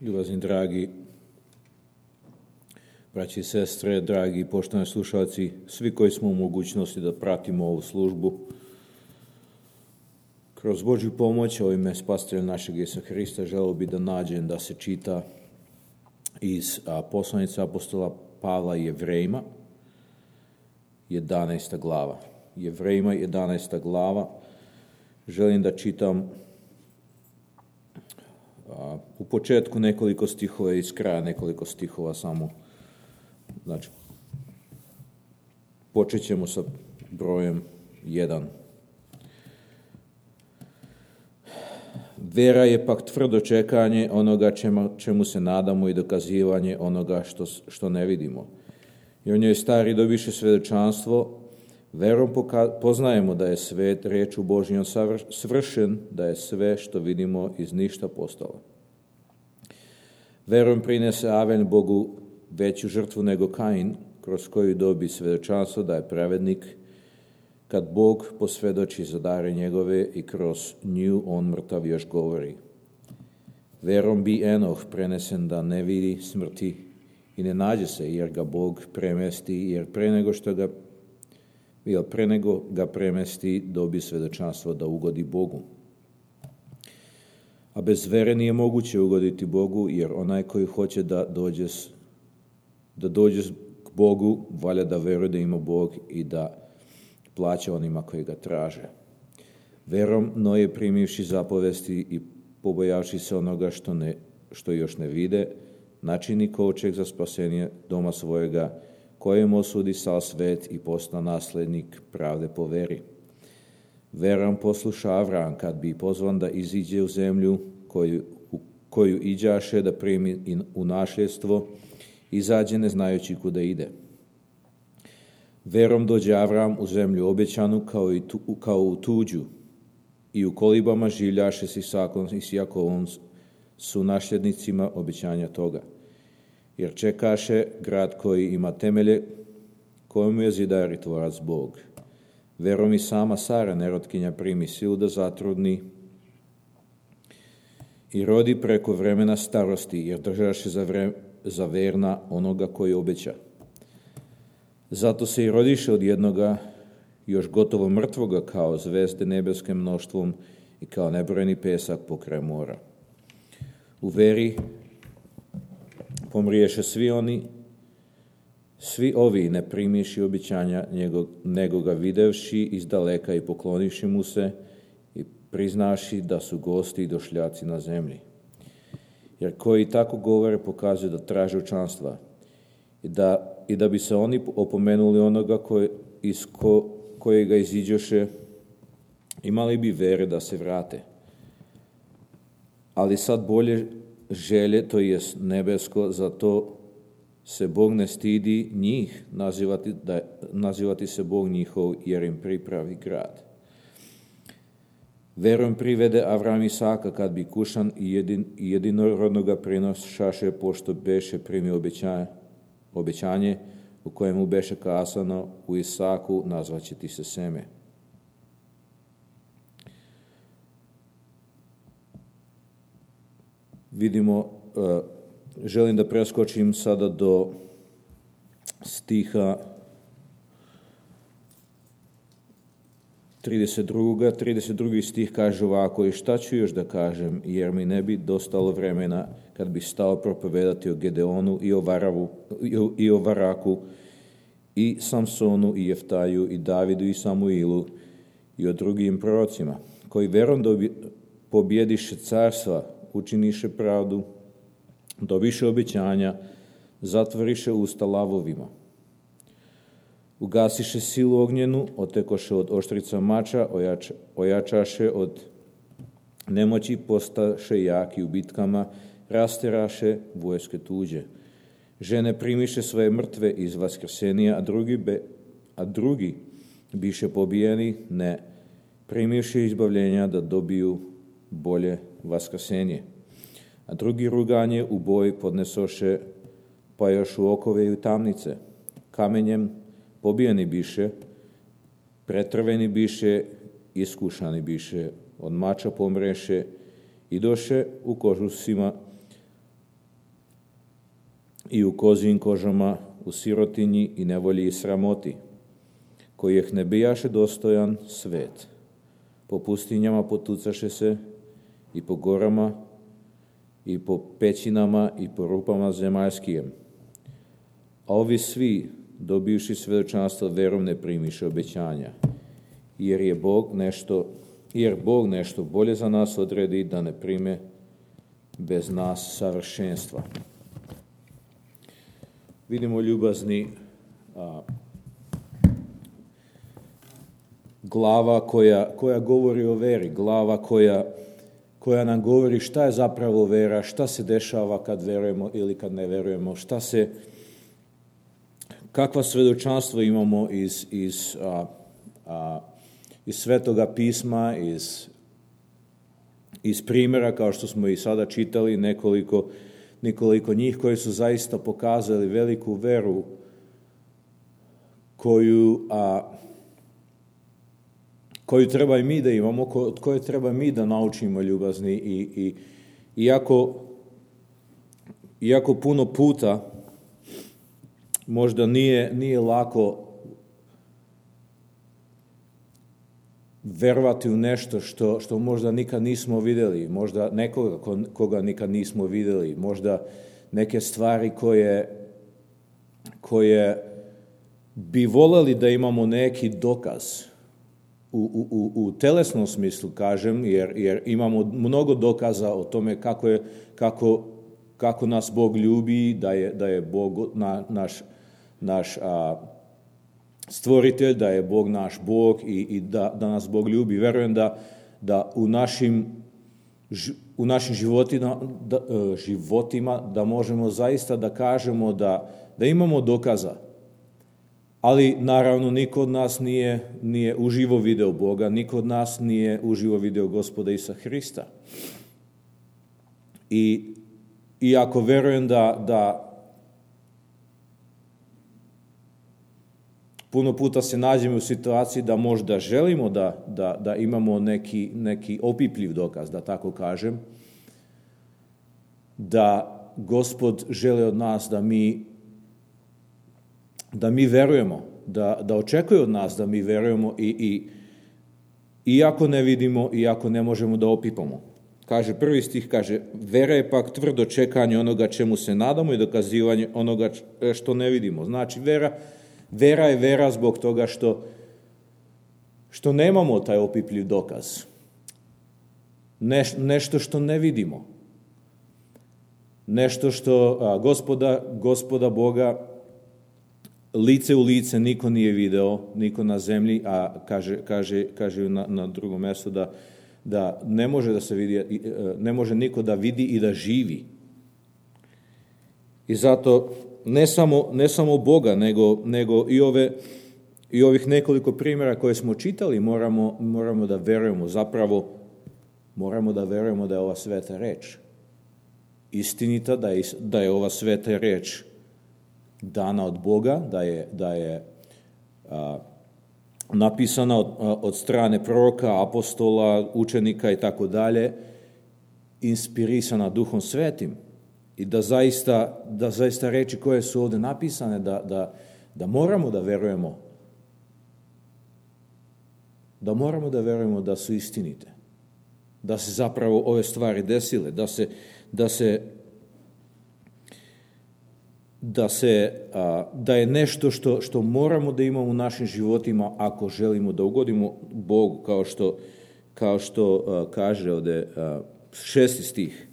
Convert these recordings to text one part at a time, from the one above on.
Ljubazni dragi braći i sestre, dragi poštovani slušalci, svi koji smo u mogućnosti da pratimo ovu službu, kroz Božju pomoć, u ime Spasitelja našeg Isusa Hrista, želeo bi da nađem da se čita iz poslanice apostola Pavla Jevrejima, 11. glava. Jevrejima, 11. glava. Želim da čitam u početku nekoliko stihova i iz kraja nekoliko stihova samo. Znači, počet ćemo sa brojem 1. Vera je pak tvrdo čekanje onoga čemu se nadamo i dokazivanje onoga što ne vidimo. I o njoj stari dobiše svedočanstvo, verom poznajemo da je svet riječu Božjom svršen, da je sve što vidimo iz ništa postalo. Verom prinese Avel Bogu veću žrtvu nego Kain, kroz koju dobi svedočanstvo da je pravednik, kad Bog posvjedoči za dare njegove i kroz nju on mrtav još govori. Verom bi Enoh prenesen da ne vidi smrti i ne nađe se, jer ga Bog premesti, jer pre nego ga premesti dobi svedočanstvo da ugodi Bogu. A bez vere nije moguće ugoditi Bogu, jer onaj koji hoće da dođe k Bogu, valja da veruje da ima Bog i da plaća onima koji ga traže. Verom Noje primivši zapovesti i pobojavši se onoga što još ne vide, načini kovčeg za spasenje doma svojega, kojem osudi sav svet i posta naslednik pravde po veri. Verom posluša Avram, kad bi pozvan da iziđe u zemlju koju iđaše da primi u nasljedstvo, izađe ne znajući kuda ide. Verom dođe Avram u zemlju obećanu kao u tuđu i u kolibama življaše s Isakom i s Jakovom su nasljednicima obećanja toga. Jer čekaše grad koji ima temelje, kojemu je zidar i tvorac Bog. Verom i sama Sara, nerotkinja, primi silu da zatrudni i rodi preko vremena starosti, jer držaše za verna onoga koji obeća. Zato se i rodiše od jednoga, još gotovo mrtvoga, kao zvezde nebeskim mnoštvom i kao nebrojeni pesak pokraj mora. U veri pomriješe svi ovi ne primiši obećanja, nego ga videvši izdaleka i poklonivši mu se i priznaši da su gosti i došljaci na zemlji. Jer koji tako govore pokazuju da traže učanstva i da bi se oni opomenuli onoga kojega iziđoše, imali bi vere da se vrate. Ali sad bolje želje, to jest nebesko, zato se Bog ne stidi njih nazivati se Bog njihov, jer im pripravi grad. Verom privede Avram Isaka, kad bi kušan i jedinorodnoga prinošaše, pošto beše primio obećanje u kojemu beše kazano, u Isaku nazvaće ti se seme. Vidimo, želim da preskočim sada do stiha 32. 32. stih kaže ovako: i šta ću još da kažem, jer mi ne bi dostalo vremena kad bi stao propovedati o Gedeonu i o Varaku i Samsonu i Jeftaju i Davidu i Samuilu i o drugim prorocima, koji verom pobjediše carstva, učiniše pravdu, dobiše obećanja, zatvoriše usta lavovima. Ugasiše silu ognjenu, otekoše od oštrica mača, ojačaše od nemoći, postaše jaki u bitkama, rasteraše vojske tuđe. Žene primiše svoje mrtve iz vaskrsenija, a drugi biše pobijeni, ne primivši izbavljenja da dobiju bolje vaskrsenje. A drugi ruganje u boj podnesoše, pa još u okove i u tamnice. Kamenjem pobijeni biše, pretrveni biše, iskušani biše, od mača pomreše i doše u kožusima, i u kozijim kožama, u sirotinji i nevolji i sramoti, kojih ne bijaše dostojan svet. Po pustinjama potucaše se i po gorama i po pećinama i po rupama zemaljskijem. A ovi svi, dobivši svedočanstvo verom, ne primiše obećanja, jer Bog nešto bolje za nas odredi da ne prime bez nas savršenstva. Vidimo, ljubazni, glava koja govori o veri, glava koja nam govori šta je zapravo vera, šta se dešava kad verujemo ili kad ne verujemo, kakva svedočanstva imamo iz Svetoga pisma, iz primjera, kao što smo i sada čitali, nekoliko njih koji su zaista pokazali veliku veru koju treba i mi da imamo, od koje treba mi da naučimo, ljubazni. I iako puno puta možda nije lako verovati u nešto što možda nikad nismo vidjeli, možda nekoga koga nikad nismo vidjeli, možda neke stvari koje bi voljeli da imamo neki dokaz u telesnom smislu, kažem, jer imamo mnogo dokaza o tome kako nas Bog ljubi, da je Bog naš stvoritelj, da je Bog naš Bog i da nas Bog ljubi. Verujem da u našim životima da možemo zaista da kažemo da imamo dokaza. Ali naravno niko od nas nije uživo video Boga, niko od nas nije uživo video Gospoda Isusa Hrista. I ako verujem da puno puta se nađemo u situaciji da možda želimo da imamo neki opipljiv dokaz, da tako kažem, da Gospod želi od nas da mi verujemo, da očekuje od nas da mi verujemo iako ne vidimo, iako ne možemo da opipamo. Kaže, prvi stih kaže, vera je pak tvrdo čekanje onoga čemu se nadamo i dokazivanje onoga što ne vidimo. Znači, vera je vera zbog toga što nemamo taj opipljiv dokaz. Nešto što ne vidimo. Nešto što Gospoda Boga lice u lice niko nije video, niko na zemlji, a kaže na drugom mjestu da ne može da se vidi, ne može niko da vidi i da živi. I zato ne samo Boga, nego i ovih nekoliko primjera koje smo čitali moramo da verujemo, zapravo moramo da verujemo da je ova sveta reč istinita, da je ova sveta reč dana od Boga, da je napisana od strane proroka, apostola, učenika i tako dalje, inspirisana Duhom Svetim. I da zaista reči koje su ovdje napisane, da moramo da verujemo. Da moramo da verujemo da su istinite. Da se zapravo ove stvari desile, da je nešto što moramo da imamo u našim životima ako želimo da ugodimo Bogu, kao što kaže ovdje 6. stih.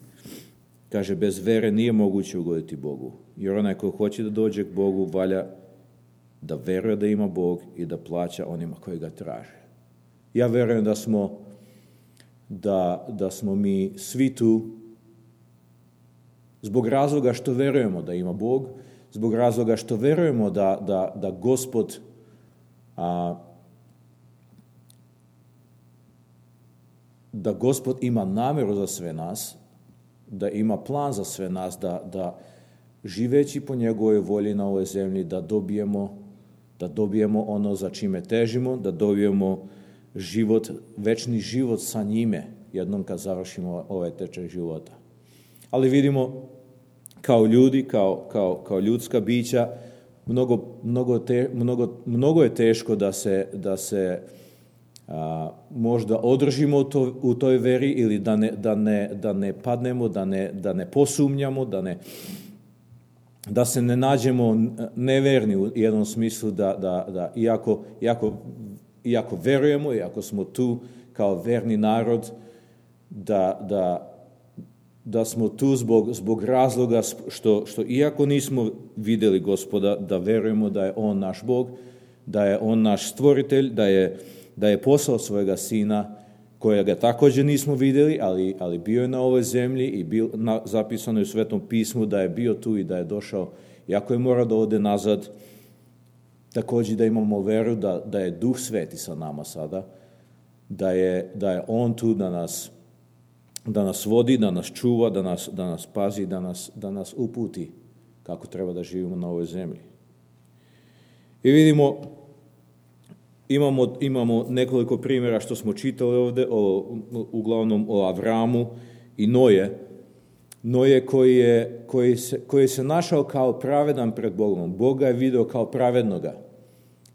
Kaže, bez vere nije moguće ugoditi Bogu, jer onaj ko hoće da dođe k Bogu valja da veruje da ima Bog i da plaća onima koji ga traže. Ja verujem da smo mi svi tu zbog razloga što verujemo da ima Bog, zbog razloga što verujemo da Gospod da Gospod ima namjeru za sve nas, da ima plan za sve nas, da živeći po njegovoj volji na ovoj zemlji, da dobijemo ono za čime težimo, da dobijemo večni život sa njime, jednom kad završimo ovaj tečaj života. Ali vidimo kao ljudi, kao ljudska bića, mnogo je teško da se možda održimo u toj veri ili da ne padnemo, da ne posumnjamo, da se ne nađemo neverni u jednom smislu, da iako verujemo, iako smo tu kao verni narod, da smo tu zbog razloga što iako nismo vidjeli Gospoda, da verujemo da je On naš Bog, da je On naš stvoritelj, da je poslao svojega Sina, kojega također nismo vidjeli, ali bio je na ovoj zemlji i zapisano je u Svetom pismu da je bio tu i da je došao, iako je morao da ode nazad. Također da imamo veru da je Duh Sveti sa nama sada, da je On tu da nas vodi, da nas čuva, da nas pazi, da nas uputi kako treba da živimo na ovoj zemlji. I vidimo, imamo nekoliko primjera što smo čitali ovdje, uglavnom o Avramu i Noje. Noje koji se našao kao pravedan pred Bogom. Boga je video kao pravednoga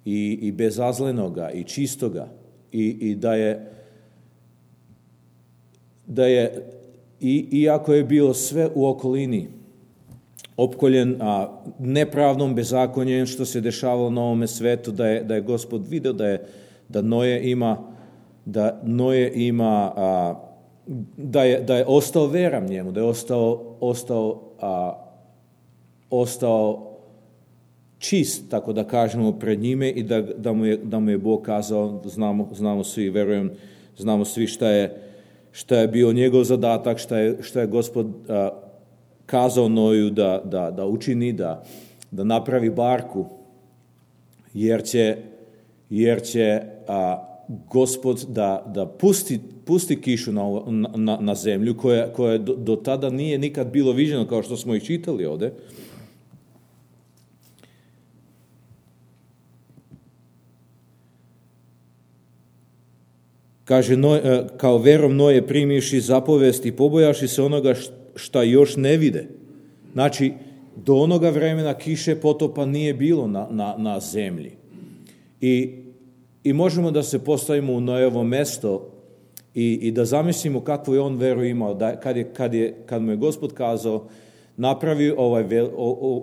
i bezazlenoga i čistoga i da je iako je bilo sve u okolini opkoljen nepravdom, bezakonjem što se dešavalo na ovome svetu, da je Gospod video da Noje je ostao veran njemu, da je ostao čist, tako da kažemo, pred njime i da mu je Bog kazao, znamo svi, verujem, znamo svi šta je bio njegov zadatak, šta je Gospod kazao Noju da učini, da napravi barku, jer će Gospod da pusti kišu na zemlju koja do tada nije nikad bilo viđeno, kao što smo ih čitali ovdje. Kaže, kao verom Noje primivši zapovest i pobojaši se onoga šta još ne vide. Znači, do onoga vremena kiše potopa nije bilo na zemlji. I možemo da se postavimo u Nojevo mesto i da zamislimo kakvu je on veru imao. Kad mu je Gospod kazao, napravi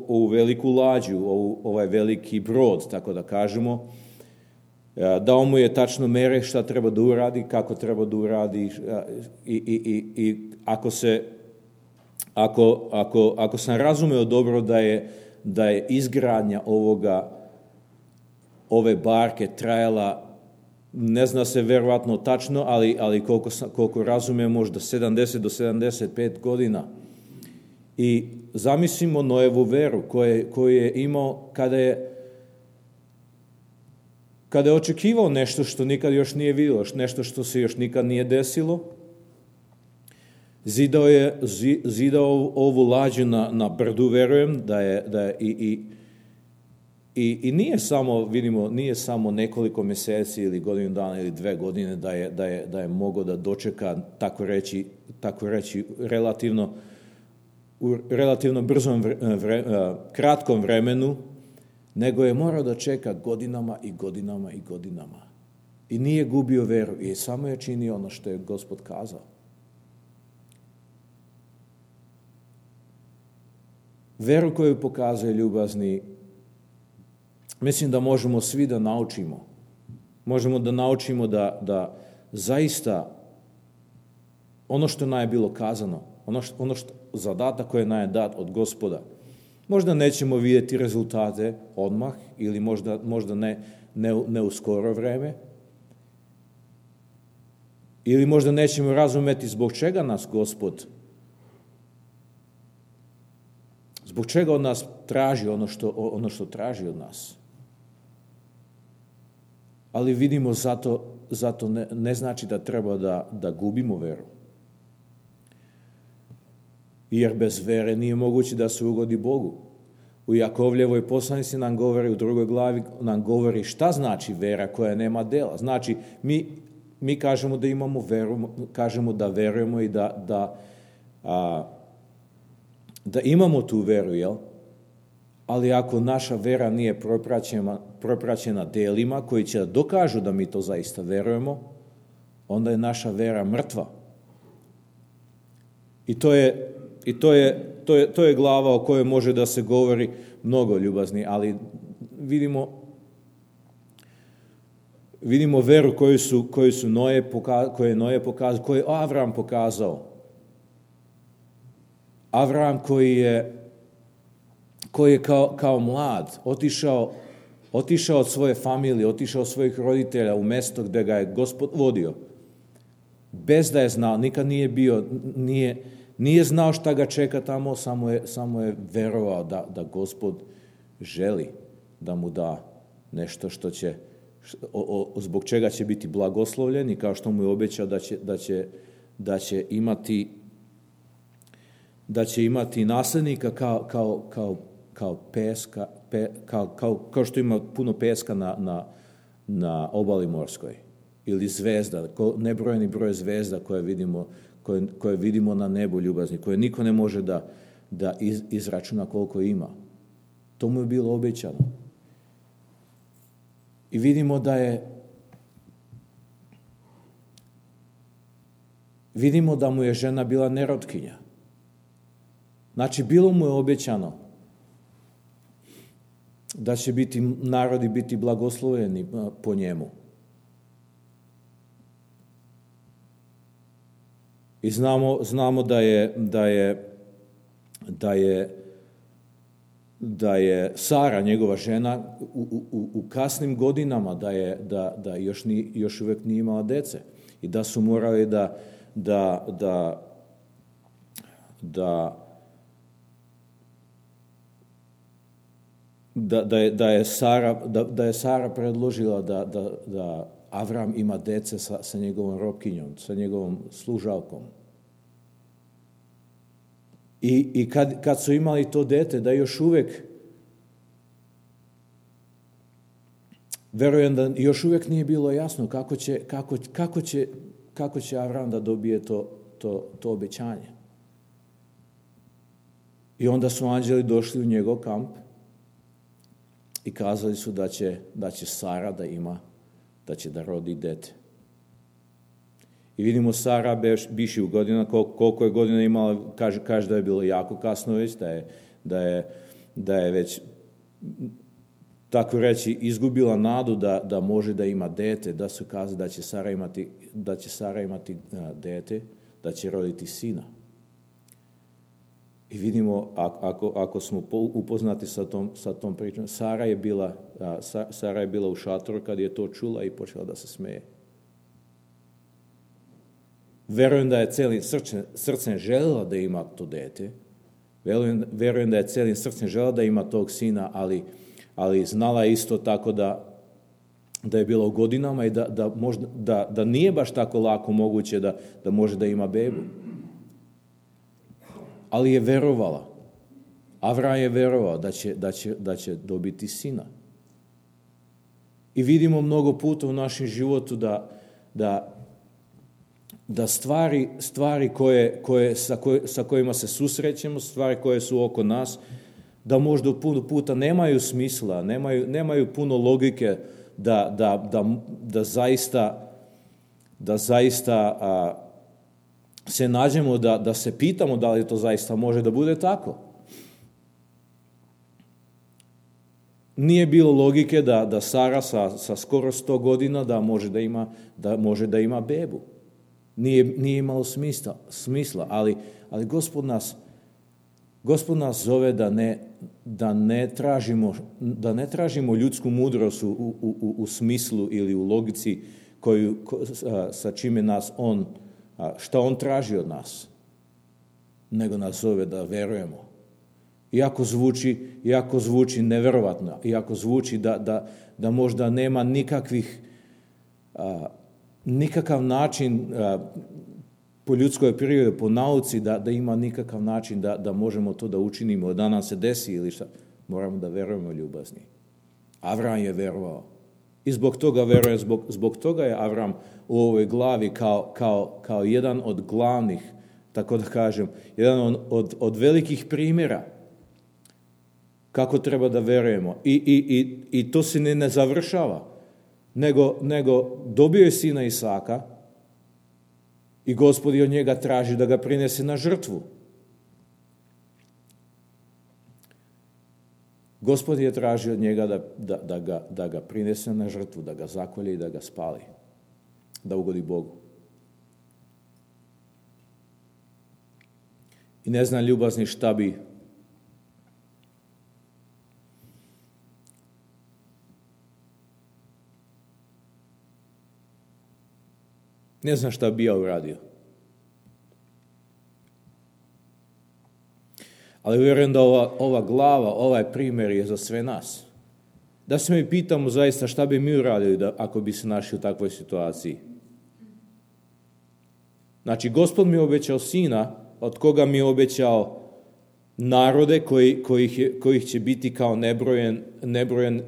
ovu veliku lađu, ovaj veliki brod, tako da kažemo, dao mu je tačno mere šta treba da uradi, kako treba da uradi i ako sam razumeo dobro da je izgradnja ove barke trajala, ne zna se verovatno tačno, ali koliko razumijem, možda 70 do 75 godina. I zamislimo Nojevu veru koju je imao kada je očekivao nešto što nikad još nije vidio, nešto što se još nikad nije desilo. Zidao ovu lađu na brdu, verujem, da je i nije samo, vidimo, nije samo nekoliko mjeseci ili godinu dana ili 2 godine da je mogao da dočeka, tako reći u relativno brzom, kratkom vremenu, nego je morao da čeka godinama i godinama i godinama. I nije gubio veru i samo je činio ono što je Gospod kazao. Veru koju pokazuje ljubazni, mislim da možemo svi da naučimo. Možemo da naučimo da zaista ono što nam je bilo kazano, ono što zadatak koji nam je dat od Gospoda, možda nećemo vidjeti rezultate odmah ili možda ne u skoro vreme, ili možda nećemo razumeti zbog čega nas Gospod, zbog čega od nas traži ono što traži od nas. Ali vidimo, zato ne znači da treba da gubimo veru. Jer bez vere nije moguće da se ugodi Bogu. U Jakovljevoj poslanici nam govori, u 2. glavi nam govori šta znači vera koja nema dela. Znači, mi kažemo da imamo veru, kažemo da verujemo i da imamo tu veru, jel? Ali ako naša vera nije propraćena delima koji će da dokažu da mi to zaista verujemo, onda je naša vera mrtva. I to je glava o kojoj može da se govori mnogo, ljubazni, ali vidimo veru koju je Noe pokazao, koju je Avram pokazao. Avram koji je kao mlad otišao od svoje familije, otišao od svojih roditelja u mesto gde ga je Gospod vodio. Bez da je znao, nikad nije bio, nije znao šta ga čeka tamo, samo je verovao da Gospod želi da mu da nešto što će, zbog čega će biti blagoslovljen i kao što mu je obećao da će imati naslednika kao peska, kao što ima puno peska na obali morskoj, ili zvezda, nebrojeni broj zvezda koje vidimo na nebu, ljubazni, koje niko ne može da izračuna koliko ima. To mu je bilo obećano. I vidimo da mu je žena bila nerotkinja. Znači, bilo mu je obećano da će narodi biti blagosloveni po njemu. I znamo da je Sara, njegova žena, u kasnim godinama da još uvek nije imala dece i da su morali da je Sara predložila da Avram ima dece sa njegovom robkinjom, sa njegovom služavkom. I kad su imali to dete, da još uvek, verujem da još uvek nije bilo jasno kako će Avram da dobije to obećanje. I onda su anđeli došli u njegov kamp i kazali su da će Sara da će da rodi dete. I vidimo Sara biši u godina, koliko je godina imala, kaže da je bilo jako kasno već, da je već, tako reći, izgubila nadu da može da ima dete, da su kazali da će Sara imati dete, da će roditi sina. I vidimo, ako smo upoznati sa tom pričom, Sara je bila u šatoru kad je to čula i počela da se smeje. Verujem da je celim srcem želela da ima to dete. Verujem da je celim srcem želela da ima tog sina, ali znala je isto tako da je bila u godinama i da nije baš tako lako moguće da može da ima bebu. Ali je verovala. Avram je verovao da će dobiti sina. I vidimo mnogo puta u našem životu da stvari sa kojima se susrećemo, stvari koje su oko nas, da možda puno puta nemaju smisla, nemaju puno logike da zaista se nađemo da se pitamo da li to zaista može da bude tako. Nije bilo logike da Sara sa skoro 100 godina da može da ima bebu. Nije imalo smisla, ali Gospod nas zove da ne tražimo ljudsku mudrost u smislu ili u logici sa čime nas šta on traži od nas, nego nas zove da verujemo. Iako zvuči neverovatno, iako zvuči da možda nema nikakav način po ljudskoj prirodi, po nauci, da ima nikakav način da možemo to da učinimo, da nam se desi ili šta, moramo da verujemo, ljubazni. Avram je verovao. I zbog toga je Avram u ovoj glavi kao jedan od glavnih tako da kažem, jedan od velikih primjera kako treba da verujemo. I to se ne završava, nego dobio je sina Isaka i Gospod od njega traži da ga prinese na žrtvu. Gospod je tražio od njega da ga prinese na žrtvu, da ga zakolje i da ga spali, da ugodi Bogu. I ne znam, ljubazni, šta bi ja uradio. Ali vjerujem da ova glava, ovaj primjer je za sve nas. Da se mi pitamo zaista šta bi mi uradili ako bi se našli u takvoj situaciji. Znači, Gospod mi je obećao sina, od koga mi je obećao narode kojih će biti kao nebrojen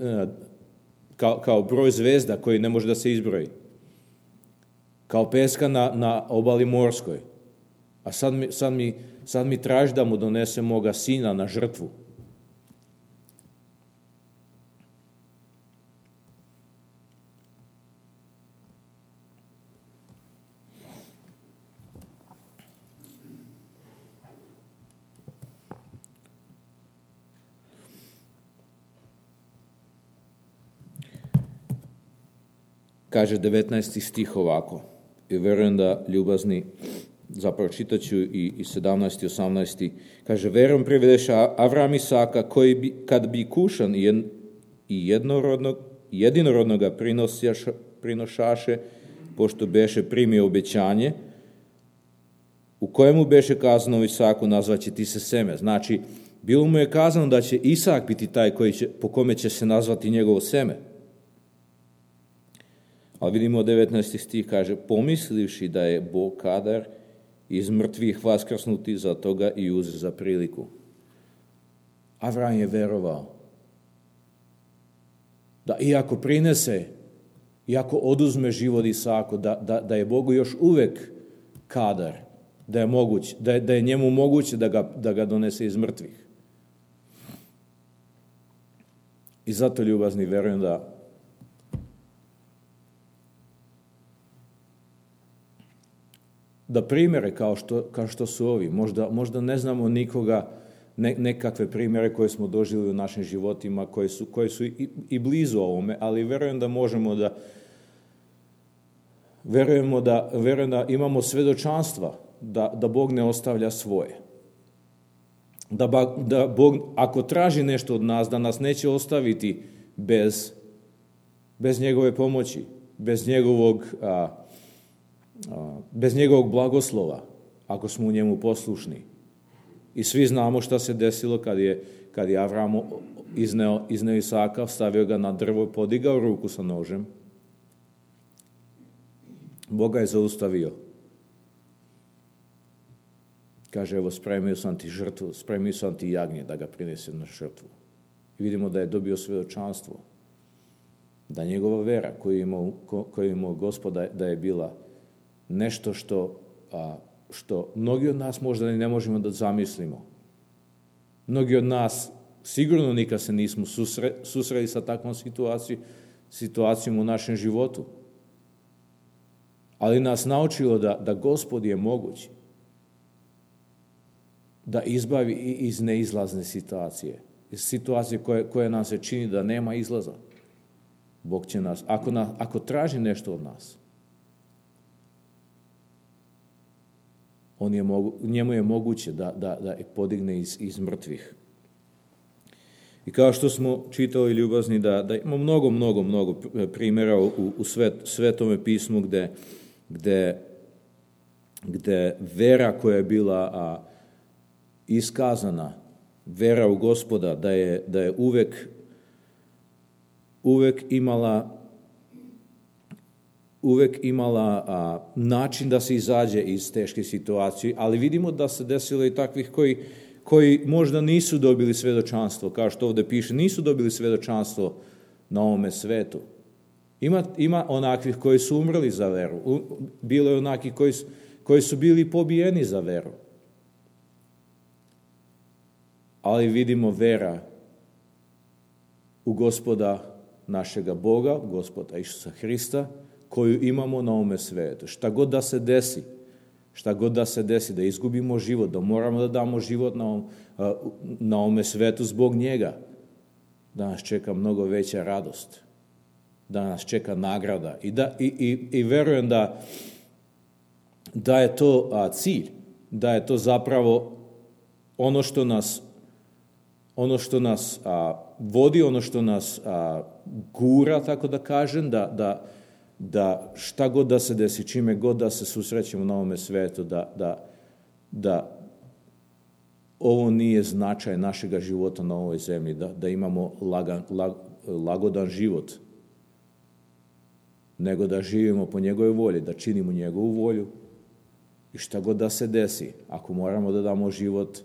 kao broj zvezda koji ne može da se izbroji. Kao peska na obali morskoj. A sad mi traži da mu donese moga sina na žrtvu. Kaže 19. stih ovako. I vjerujem da, ljubazni, zapravo čitat ću i 17. i 18. Kaže, verom privedeše Avram Isaka, koji bi, kad bi kušan i jedinorodnoga prinošaše, pošto beše primio obećanje, u kojemu beše kazano Isaku, nazvaće ti se seme. Znači, bilo mu je kazano da će Isak biti taj po kome će se nazvati njegovo seme. Ali vidimo 19. stih kaže, pomislivši da je Bog kadar iz mrtvih vaskrsnuti, za toga i uze za priliku. Avram je verovao da iako prinese, iako oduzme život Isaku, da je Bogu još uvek kadar, da je njemu moguće da ga donese iz mrtvih. I zato, ljubazni, verujem da primjere kao što su ovi, možda ne znamo nikoga, nekakve primjere koje smo doživjeli u našim životima, koji su i blizu ovome, ali verujem da možemo verujem da imamo svedočanstva da Bog ne ostavlja svoje. Da Bog, ako traži nešto od nas, da nas neće ostaviti bez njegove pomoći, bez njegovog blagoslova, ako smo u njemu poslušni. I svi znamo šta se desilo kad je Avram izneo Isaka, stavio ga na drvo, podigao ruku sa nožem. Bog ga je zaustavio. Kaže, evo, spremio sam ti žrtvu, spremio sam ti jagnje da ga prinese na žrtvu. I vidimo da je dobio svedočanstvo. Da njegova vera koju je imao Gospoda, da je bila nešto što mnogi od nas možda ne možemo da zamislimo. Mnogi od nas sigurno nikad se nismo susreli sa takvom situacijom u našem životu. Ali nas naučilo da Gospod je moguć da izbavi iz neizlazne situacije. Iz situacije koja nam se čini da nema izlaza. Bog će nas, ako traži nešto od nas, njemu je moguće da podigne iz mrtvih. I kao što smo čitali, ljubazni, da ima mnogo primjera u Svetome pismu gde vera koja je bila iskazana, vera u Gospoda, da je uvek imala način da se izađe iz teške situacije, ali vidimo da se desilo i takvih koji možda nisu dobili svedočanstvo, kao što ovdje piše, nisu dobili svedočanstvo na ovome svetu. Ima onakvih koji su umrli za veru, bilo je onakvih koji su bili pobijeni za veru. Ali vidimo vera u Gospoda našega Boga, Gospoda Isusa Hrista, koju imamo na ovome svetu. Šta god da se desi, da izgubimo život, da moramo da damo život na ovome svetu zbog njega, da nas čeka mnogo veća radost, da nas čeka nagrada. I verujem da je to cilj, da je to zapravo ono što nas vodi, ono što nas gura, tako da kažem, da šta god da se desi, čime god da se susrećemo na ovome svetu, da ovo nije značaj našega života na ovoj zemlji, da imamo lagodan život, nego da živimo po njegovoj volji, da činimo njegovu volju i šta god da se desi, ako moramo da damo život,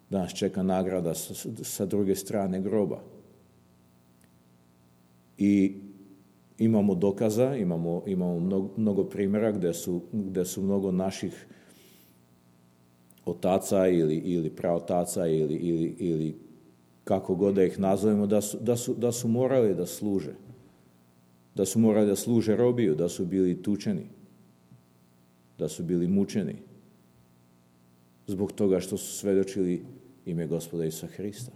da nas čeka nagrada sa druge strane groba. I imamo dokaza, imamo mnogo primjera gde su mnogo naših otaca ili praotaca ili kako god da ih nazovemo, da su morali da služe. Da su morali da služe robiju, da su bili tučeni, da su bili mučeni zbog toga što su svedočili ime Gospoda Isusa Hrista.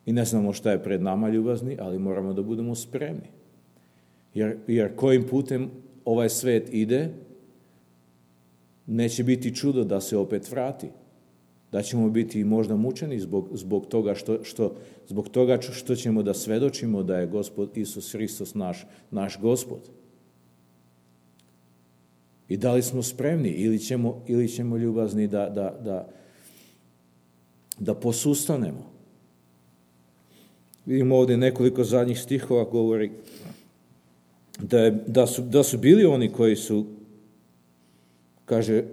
I ne znamo šta je pred nama, ljubazni, ali moramo da budemo spremni. Jer kojim putem ovaj svet ide, neće biti čudo da se opet vrati. Da ćemo biti možda mučeni zbog toga što ćemo da svedočimo da je Gospod Isus Hristos naš Gospod. I da li smo spremni ili ćemo ljubazni da posustanemo. Vidimo ovdje nekoliko zadnjih stihova govori da su bili oni koji su, kaže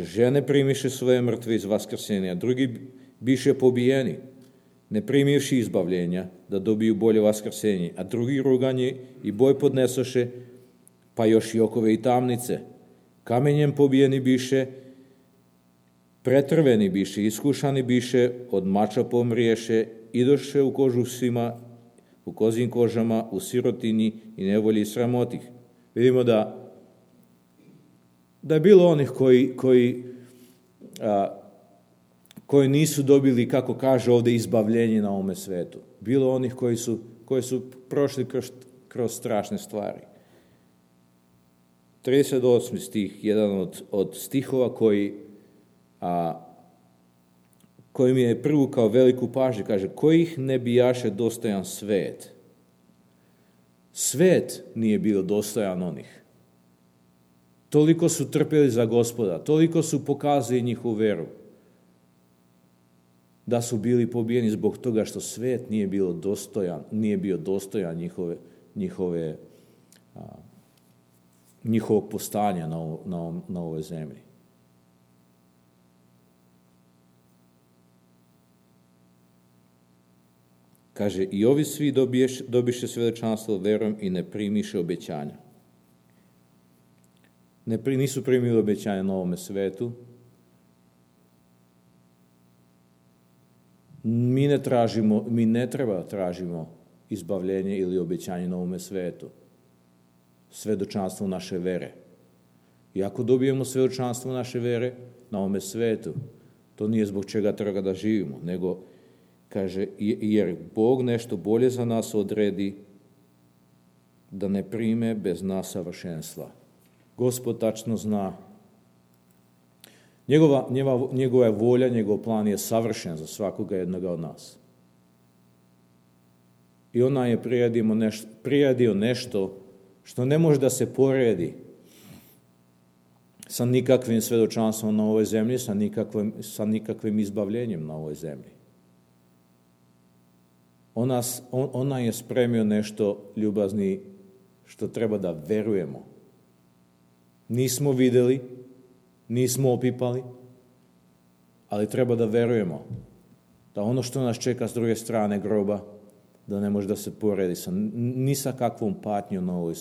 žene primiše svoje mrtve iz vaskrsenja, drugi biše pobijeni, ne primivši izbavljenja, da dobiju bolje vaskrsenje, a drugi ruganje i boj podnesoše, pa još i okove i tamnice. Kamenjem pobijeni biše, pretrveni biše, iskušani biše, od mača pomriješe, idoše u kožusima, u kozjim kožama, u sirotini i nevolji i sramotih. Vidimo da je bilo onih koji nisu dobili, kako kaže ovdje, izbavljenje na ovome svetu. Bilo onih koji su prošli kroz strašne stvari. 38. stih, jedan od stihova koji mi je privukao veliku pažnju, kaže, kojih ne bijaše dostojan svet. Svet nije bio dostojan onih. Toliko su trpjeli za Gospoda, toliko su pokazali njihovu veru, da su bili pobijeni zbog toga što svet nije bio dostojan njihovog postanja na ovoj zemlji. Kaže, i ovi svi dobiše svedočanstvo verom i ne primiše obećanja. Nisu primili obećanja na ovome svetu. Mi ne treba tražimo izbavljenje ili obećanje na ovome svetu. Svedočanstvo naše vere. I ako dobijemo svedočanstvo naše vere na ovome svetu, to nije zbog čega treba da živimo, nego kaže, jer Bog nešto bolje za nas odredi, da ne prime bez nas savršenstva. Gospod tačno zna. Njegova je volja, njegov plan je savršen za svakoga jednoga od nas. I ona je priredio nešto što ne može da se poredi sa nikakvim svedočanstvom na ovoj zemlji, sa nikakvim izbavljenjem na ovoj zemlji. Ona je spremio nešto, ljubazni, što treba da verujemo. Nismo videli, nismo opipali, ali treba da verujemo da ono što nas čeka s druge strane groba, da ne može da se poredi ni sa kakvom patnjom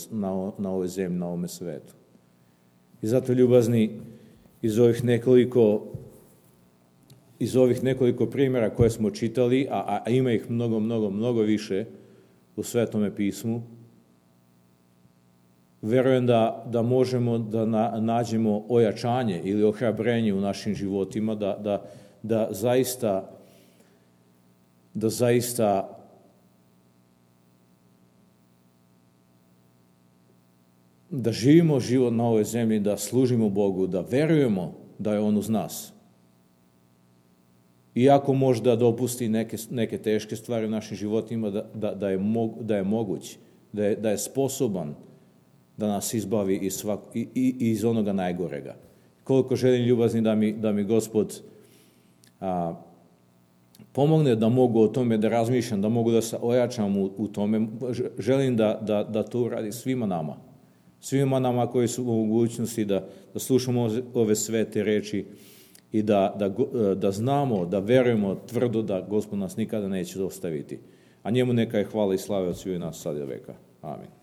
na ovoj zemlji, na ovome svetu. I zato, ljubazni, iz ovih nekoliko primjera koje smo čitali, a ima ih mnogo više u Svetome pismu, verujem da možemo da nađemo ojačanje ili ohrabrenje u našim životima, da zaista da živimo život na ovoj zemlji, da služimo Bogu, da verujemo da je On uz nas. Iako možda dopusti neke teške stvari u našim životima, da je moguć, da je sposoban da nas izbavi iz onoga najgorega. Koliko želim, ljubazni, da mi Gospod pomogne da mogu o tome da razmišljam, da mogu da se ojačam u tome. Želim da to uradi svima nama koji su u mogućnosti da slušamo ove svete reči i da znamo, da verujemo tvrdo da Gospod nas nikada neće ostaviti. A njemu neka je hvala i slava od svih nas sad i do veka. Amin.